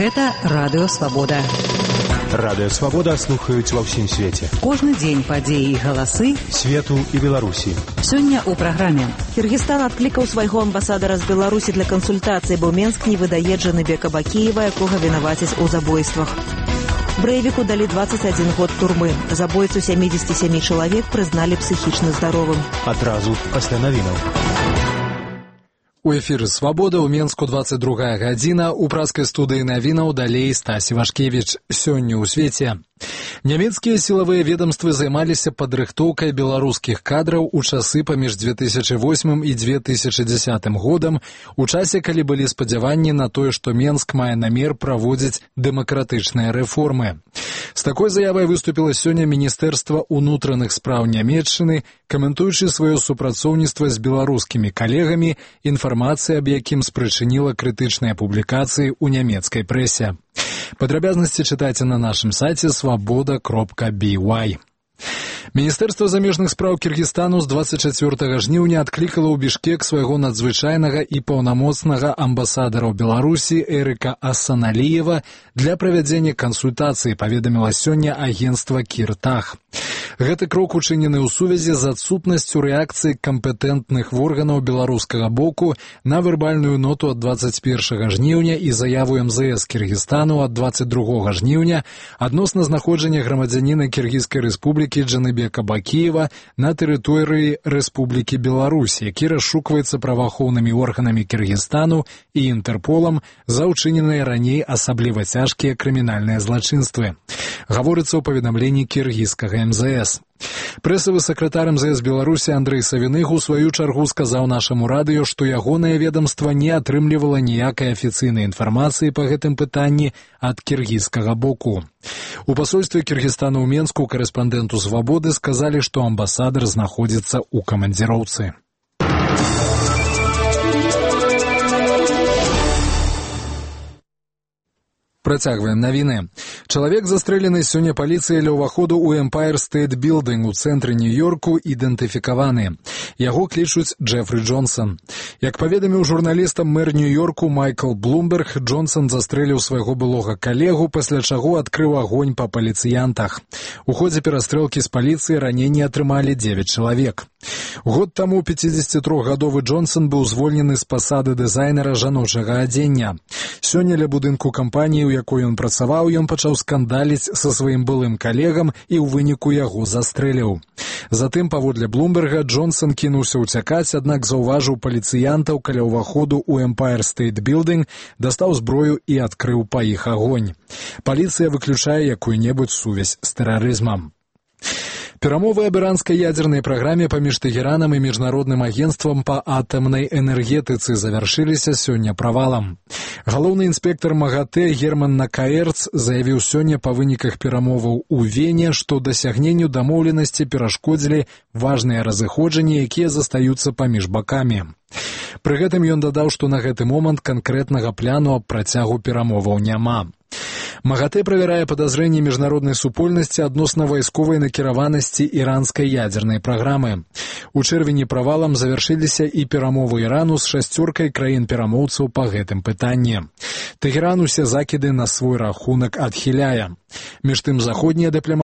Гэта Радыё Свабода. Радыё Свабода слухаюць ва ўсім свеце. Кожны дзень падзеі і галасы свету і Беларусі. Сёння ў праграме. Кыргызстан адклікаў свайго амбасадара з Беларусі для кансультацыі, бо Менск не выдае Джаныбека Бакіева, якога вінавацяць у забойствах. Брэйвіку далі 21 год турмы. Забойцу 77 чалавек прызналі псіхічна здаровым. Адразу пасля навінаў. У эфіры «Свабода» ў Менску 22 гадзіна. У праскай студыі навінаў далей Стась Івашкевіч. Сёння ў свеце. Нямецкія сілавыя ведомствы займаліся падрыхтоўкай беларускіх кадраў у часы паміж 2008 і 2010 годам, у часе, калі былі спадзяванні на тое, што Менск мае намер праводзіць дэмакратычныя рэформы. З такой заявай выступіла сёння Міністэрства ўнутраных спраў Нямецчыны, каментуючы сваё супрацоўніцтва з беларускімі калегамі, інфармацыя аб якім спрычыніла крытычныя публікацыі ў нямецкай прэсе. Падрабязнасці чытайце на нашым сайце svoboda.by. Міністэрства замежных спраў Кіргізстану з 24 жніўня адклікала ў Бішкек свайго надзвычайнага і паўнамоцнага амбасадара ў Беларусі Эрыка Асаналіева для правядзення кансультацыі, паведаміла сёння агенцтва Кіртах. Гэты крок учынены ў сувязі з адсутнасцю рэакцыі кампетэнтных органаў беларускага боку на вербальную ноту ад 21 жніўня і заяву МЗС Кіргізстану ад 22 жніўня адносна знаходжання грамадзяніна Кіргізскай рэспублікі Джаныбека Бакіева на тэрыторыі Рэспублікі Беларусь, які расшукваецца праваахоўнымі органамі Кіргізстану і Інтэрполам за ўчыненыя раней асабліва цяжкія крымінальныя злачынствы. Гаворыцца ў паведамленні кіргізскага МЗС. Прэсавы сакратар МЗС Беларусі Андрэй Савіных у сваю чаргу сказаў нашаму радыё, што ягонае ведамства не атрымлівала ніякай афіцыйнай інфармацыі па гэтым пытанні ад кіргізскага боку. У пасольстве Кіргізстана ў Менску корэспандэнту «Свабоды» сказалі, што амбасадар знаходзіцца ў камандзіроўцы. Працягваем навіны. Чалавек, застрэлены сёння паліцыяй ля ўваходу ў Empire State Building у цэнтры Нью-Йорку, ідэнтыфікаваны. Яго клічуць Джефры Джонсон. Як паведаміў журналістам мэр Нью-Йорку Майкл Блумберг, Джонсон застрэліў свайго былога калегу, пасля чаго адкрыў агонь па паліцыянтах. У ходзе перастрэлкі з паліцыі раненні атрымалі 9 чалавек. Год таму 53-гадовы Джонсон быў звольнены з пасады дызайнера жаночага адзення. Сёння ля будынку кампаніі, у якой ён працаваў, ён пачаў скандаліць са сваім былым калегам і ў выніку яго застрэліў. Затым, паводле Блумберга, Джонсон кінуўся ўцякаць, аднак заўважыў паліцыянтаў каля ўваходу ў Empire State Building, дастаў зброю і адкрыў па іх агонь. Паліцыя выключае якую-небудзь сувязь з тэрарызмам. Перамовы аб іранскай ядзернай праграме паміж Тэхеранам і міжнародным агенцтвам па атамнай энергетыцы завяршыліся сёння правалам. Галоўны інспектар МАГАТЭ Герман Накаэрц заявіў сёння па выніках перамоваў у Вене, што дасягненню дамоўленасці перашкодзілі важныя разыходжанні, якія застаюцца паміж бакамі. Пры гэтым ён дадаў, што на гэты момант канкрэтнага пляну аб працягу перамоваў няма. МАГАТЭ правярае падазрэнні міжнароднай супольнасці адносна вайсковай накіраванасці іранскай ядзернай праграмы. У чэрвені правалам завяршыліся і перамовы Ірану з 6 краін-перамоўцаў па гэтым пытанні. Тэхеран усе закіды на свой рахунак адхіляе. Між тым заходнія дыпламаты